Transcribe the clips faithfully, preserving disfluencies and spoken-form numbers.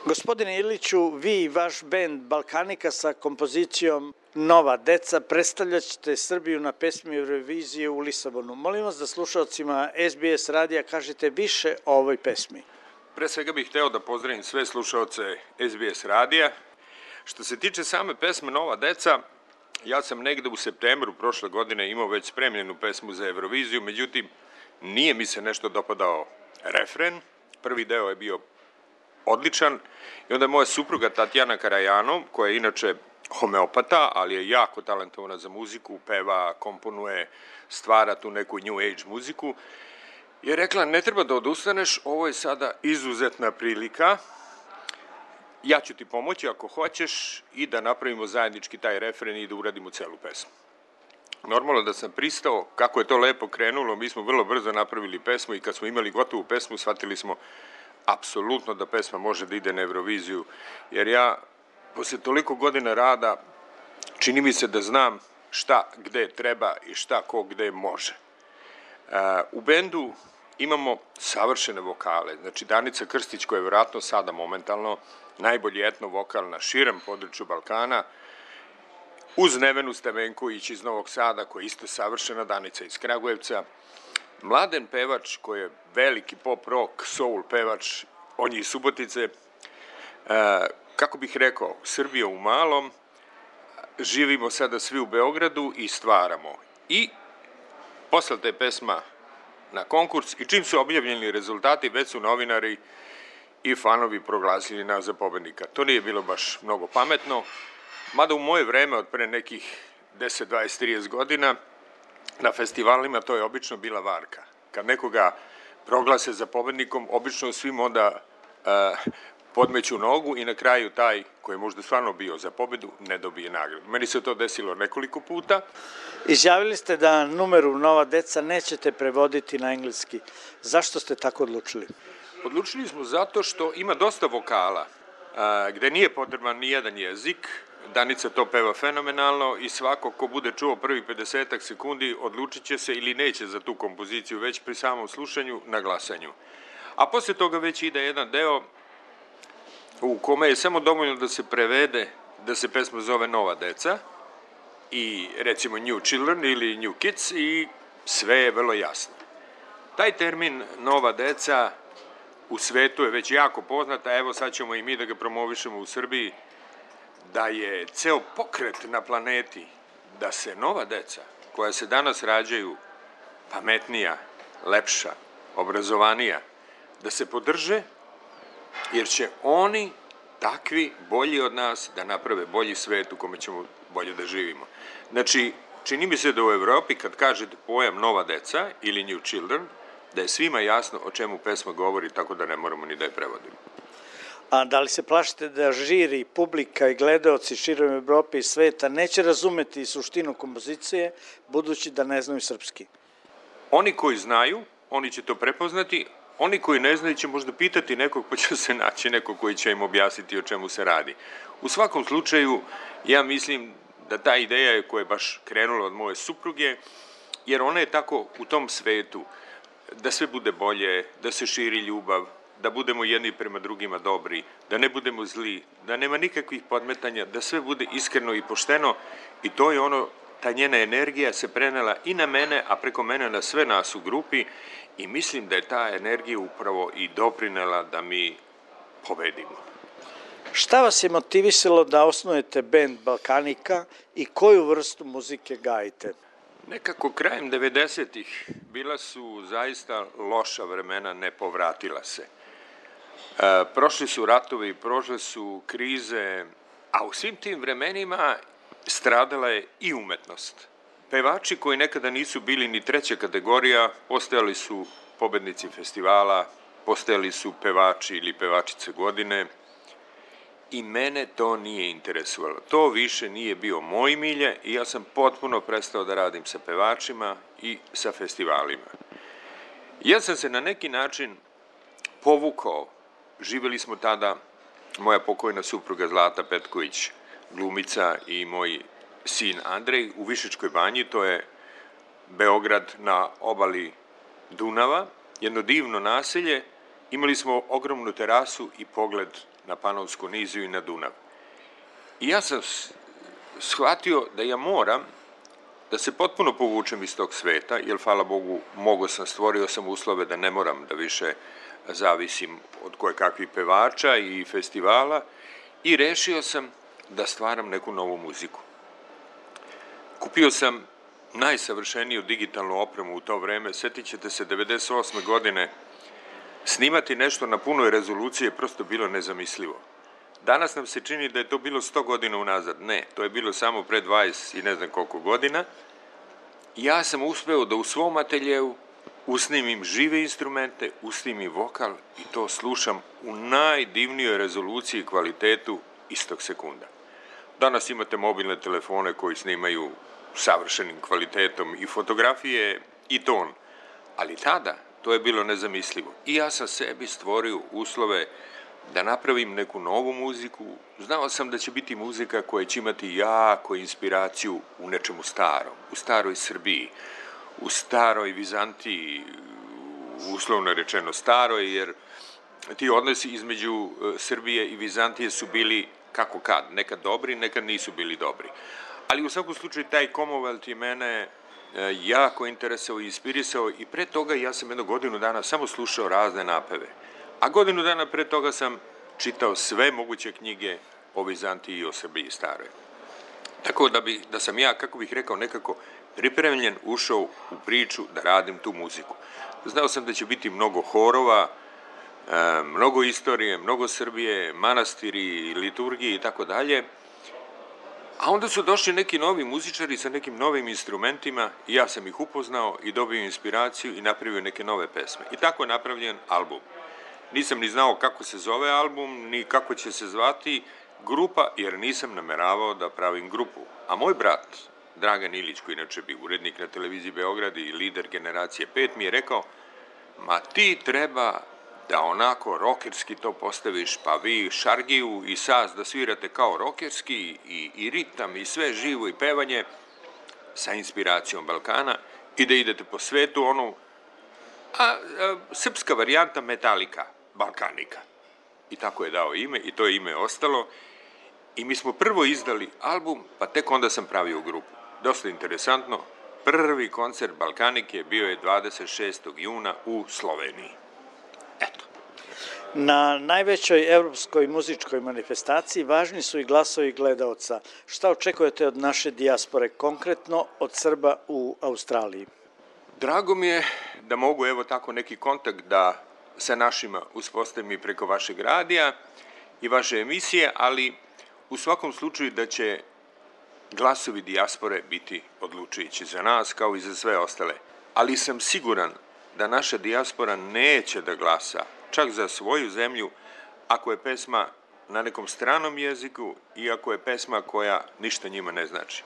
Gospodine Iliću, vi i vaš bend Balkanika sa kompozicijom Nova deca predstavljat ćete Srbiju na pesmi Eurovizije u Lisabonu. Molim vas da slušalcima S B S radija kažete više o ovoj pesmi. Pre svega bih hteo da pozdravim sve slušalce S B S radija. Što se tiče same pesme Nova deca, ja sam negde u septembru prošle godine imao već spremljenu pesmu za Euroviziju, međutim, nije mi se nešto dopadao refren. Prvi deo je bio odličan i onda je moja supruga Tatjana Karajanov, koja je inače homeopata, ali je jako talentovana za muziku, peva, komponuje, stvara tu neku new age muziku, je rekla ne treba da odustaneš, ovo je sada izuzetna prilika, ja ću ti pomoći ako hoćeš i da napravimo zajednički taj refren i da uradimo celu pesmu. Normalno da sam pristao, kako je to lepo krenulo, mi smo vrlo brzo napravili pesmu i kad smo imali gotovu pesmu shvatili smo apsolutno da pesma može da ide na Euroviziju, jer ja posle toliko godina rada čini mi se da znam šta gde treba i šta ko gde može. U bendu imamo savršene vokale, znači Danica Krstić koja je vjerojatno sada momentalno najbolji etno vokal na širem području Balkana, uz Nevenu Stevenković iz Novog Sada koja je isto savršena, Danica iz Kragujevca, Mladen pevač koji je veliki pop rock, soul pevač, on je iz Subotice, kako bih rekao, Srbija u malom, živimo sada svi u Beogradu i stvaramo. I poslata je pesma na konkurs i čim su objavljeni rezultati, već su novinari i fanovi proglasili nas za pobednika. To nije bilo baš mnogo pametno, mada u moje vreme od pre nekih deset, dvadeset, trideset godina na festivalima to je obično bila varka. Kad nekoga proglase za pobednikom, obično svim onda uh, podmeću nogu i na kraju taj koji je možda stvarno bio za pobedu ne dobije nagradu. Meni se to desilo nekoliko puta. Izjavili ste da numeru Nova deca nećete prevoditi na engleski. Zašto ste tako odlučili? Odlučili smo zato što ima dosta vokala, uh, gde nije potreban ni jedan jezik. Danica to peva fenomenalno i svako ko bude čuo prvih pedesetak sekundi odlučit će se ili neće za tu kompoziciju već pri samom slušanju na glasanju. A posle toga već ide jedan deo u kome je samo dovoljno da se prevede da se pesma zove Nova deca i recimo New Children ili New Kids i sve je vrlo jasno. Taj termin Nova deca u svetu je već jako poznata, evo sad ćemo i mi da ga promovišemo u Srbiji, da je ceo pokret na planeti, da se nova deca koja se danas rađaju pametnija, lepša, obrazovanija, da se podrže, jer će oni takvi bolji od nas da naprave bolji svet u kome ćemo bolje da živimo. Znači, čini mi se da u Evropi kad kažete pojam nova deca ili New Children, da je svima jasno o čemu pesma govori, tako da ne moramo ni da je prevodimo. A da li se plašite da žiri, publika i gledaoci širom Evrope i sveta neće razumeti suštinu kompozicije, budući da ne znaju srpski? Oni koji znaju, oni će to prepoznati, oni koji ne znaju će možda pitati nekog, pa će se naći nekog koji će im objasniti o čemu se radi. U svakom slučaju, ja mislim da ta ideja je koja je baš krenula od moje supruge, jer ona je tako u tom svetu, da sve bude bolje, da se širi ljubav, da budemo jedni prema drugima dobri, da ne budemo zli, da nema nikakvih podmetanja, da sve bude iskreno i pošteno i to je ono, ta njena energija se prenela i na mene, a preko mene na sve nas u grupi i mislim da je ta energija upravo i doprinela da mi pobedimo. Šta vas je motivisalo da osnujete bend Balkanika i koju vrstu muzike gajite? Nekako krajem devedesetih bila su zaista loša vremena, ne povratila se. E, prošli su ratovi, prošle su krize, a u svim tim vremenima stradala je i umetnost. Pevači koji nekada nisu bili ni treća kategorija, postajali su pobednici festivala, postajali su pevači ili pevačice godine i mene to nije interesovalo. To više nije bio moj milje i ja sam potpuno prestao da radim sa pevačima i sa festivalima. Ja sam se na neki način povukao, živeli smo tada, moja pokojna supruga Zlata Petković, glumica i moj sin Andrej u Višečkoj banji, to je Beograd na obali Dunava, jedno divno naselje, imali smo ogromnu terasu i pogled na Panonsku niziju i na Dunav. I ja sam shvatio da ja moram da se potpuno povučem iz tog sveta, jer, hvala Bogu, mogo sam, stvorio sam uslove da ne moram da više zavisim od koje kakvih pevača i festivala, i rešio sam da stvaram neku novu muziku. Kupio sam najsavršeniju digitalnu opremu u to vreme. Sjetit ćete se, devedeset osme godine snimati nešto na punoj rezoluciji je prosto bilo nezamislivo. Danas nam se čini da je to bilo sto godina unazad. Ne, to je bilo samo pre dvadeset i ne znam koliko godina. Ja sam uspeo da u svom ateljevu usnimim žive instrumente, usnimim vokal i to slušam u najdivnijoj rezoluciji i kvalitetu istog sekunda. Danas imate mobilne telefone koji snimaju savršenim kvalitetom i fotografije i ton, ali tada to je bilo nezamislivo. I ja sam sebi stvorio uslove da napravim neku novu muziku. Znao sam da će biti muzika koja će imati jako inspiraciju u nečemu starom, u staroj Srbiji, u staroj Vizantiji, uslovno rečeno staroj, jer ti odnosi između Srbije i Vizantije su bili kako kad, nekad dobri, nekad nisu bili dobri. Ali u svakom slučaju taj Commonwealth je mene jako interesao i inspirisao i pre toga ja sam jedno godinu dana samo slušao razne napeve. A godinu dana pre toga sam čitao sve moguće knjige o Vizantiji i o Srbiji staroj. Tako da, bi, da sam ja, kako bih rekao, nekako pripremljen ušao u priču da radim tu muziku. Znao sam da će biti mnogo horova, mnogo istorije, mnogo Srbije, manastiri, liturgije i tako dalje. A onda su došli neki novi muzičari sa nekim novim instrumentima i ja sam ih upoznao i dobio inspiraciju i napravio neke nove pesme. I tako je napravljen album. Nisam ni znao kako se zove album, ni kako će se zvati grupa, jer nisam nameravao da pravim grupu. A moj brat, Dragan Ilić, koji inače bi urednik na televiziji Beograd i lider generacije pet, mi je rekao, ma ti treba da onako rokerski to postaviš, pa vi šargiju i saz da svirate kao rokerski i, i ritam i sve živo i pevanje sa inspiracijom Balkana i da idete po svetu onu, a, a srpska varijanta Metallica, Balkanika. I tako je dao ime i to je ime ostalo. I mi smo prvo izdali album, pa tek onda sam pravio grupu. Dosta interesantno, prvi koncert Balkanike bio je dvadeset šestog juna u Sloveniji. Eto. Na najvećoj evropskoj muzičkoj manifestaciji važni su i glasovi gledaoca. Šta očekujete od naše dijaspore, konkretno od Srba u Australiji? Drago mi je da mogu evo tako neki kontakt da sa našima uspostavim i preko vašeg radija i vaše emisije, ali u svakom slučaju da će glasovi dijaspore biti odlučujući za nas kao i za sve ostale. Ali sam siguran da naša dijaspora neće da glasa čak za svoju zemlju ako je pesma na nekom stranom jeziku i ako je pesma koja ništa njima ne znači.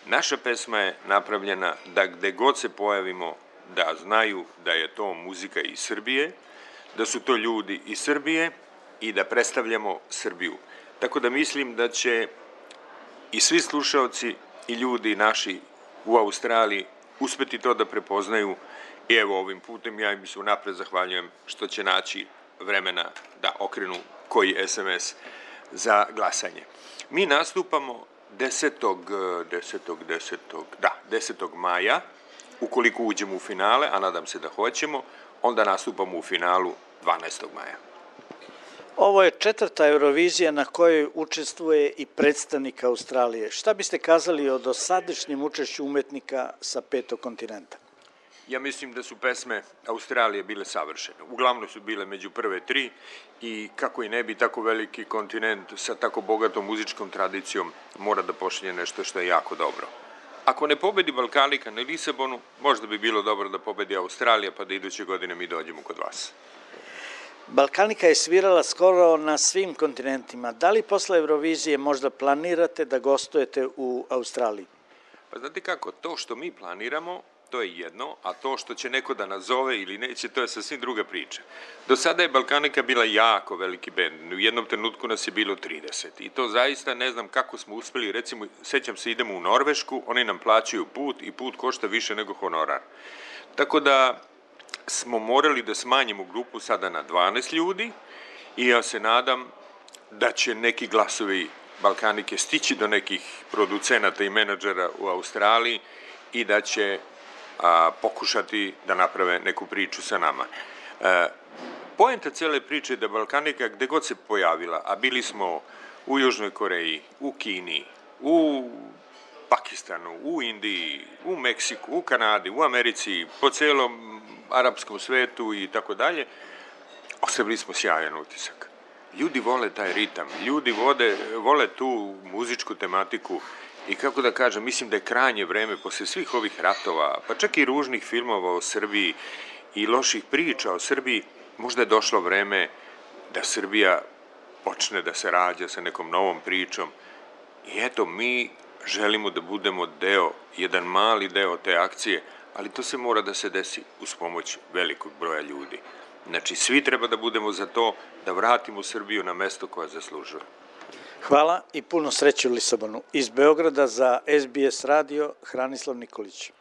Naša pesma je napravljena da gde god se pojavimo da znaju da je to muzika iz Srbije, da su to ljudi iz Srbije i da predstavljamo Srbiju. Tako da mislim da će i svi slušaoci i ljudi naši u Australiji uspeti to da prepoznaju i evo ovim putem ja im se unapred zahvaljujem što će naći vremena da okrenu koji es em es za glasanje. Mi nastupamo desetog maja, ukoliko uđemo u finale, a nadam se da hoćemo, onda nastupamo u finalu dvanaestog maja. Ovo je četvrta Eurovizija na kojoj učestvuje i predstavnik Australije. Šta biste kazali o dosadašnjem učešću umetnika sa petog kontinenta? Ja mislim da su pesme Australije bile savršene. Uglavnom su bile među prve tri i kako i ne bi tako veliki kontinent sa tako bogatom muzičkom tradicijom mora da pošalje nešto što je jako dobro. Ako ne pobedi Balkanika na Lisabonu, možda bi bilo dobro da pobedi Australija pa da iduće godine mi dođemo kod vas. Balkanika je svirala skoro na svim kontinentima. Da li posle Eurovizije možda planirate da gostujete u Australiji? Pa znate kako, to što mi planiramo, to je jedno, a to što će neko da nazove ili neće, to je sasvim druga priča. Do sada je Balkanika bila jako veliki bend, u jednom trenutku nas je bilo trideset i to zaista ne znam kako smo uspeli, recimo, sećam se idemo u Norvešku, oni nam plaćaju put i put košta više nego honorar. Tako da smo morali da smanjimo grupu sada na dvanaest ljudi i ja se nadam da će neki glasovi Balkanike stići do nekih producenata i menadžera u Australiji i da će a, pokušati da naprave neku priču sa nama. E, poenta cele priče je da Balkanika gde god se pojavila, a bili smo u Južnoj Koreji, u Kini, u Pakistanu, u Indiji, u Meksiku, u Kanadi, u Americi, po celom arapskom svetu i tako dalje, ostavili smo sjajan utisak. Ljudi vole taj ritam, ljudi vode, vole tu muzičku tematiku i kako da kažem, mislim da je krajnje vreme posle svih ovih ratova, pa čak i ružnih filmova o Srbiji i loših priča o Srbiji, možda je došlo vreme da Srbija počne da se rađa sa nekom novom pričom i eto, mi želimo da budemo deo, jedan mali deo te akcije, ali to se mora da se desi uz pomoć velikog broja ljudi. Znači, svi treba da budemo za to da vratimo Srbiju na mesto koje zaslužuje. Hvala i puno sreće u Lisabonu. Iz Beograda za S B S radio, Hranislav Nikolić.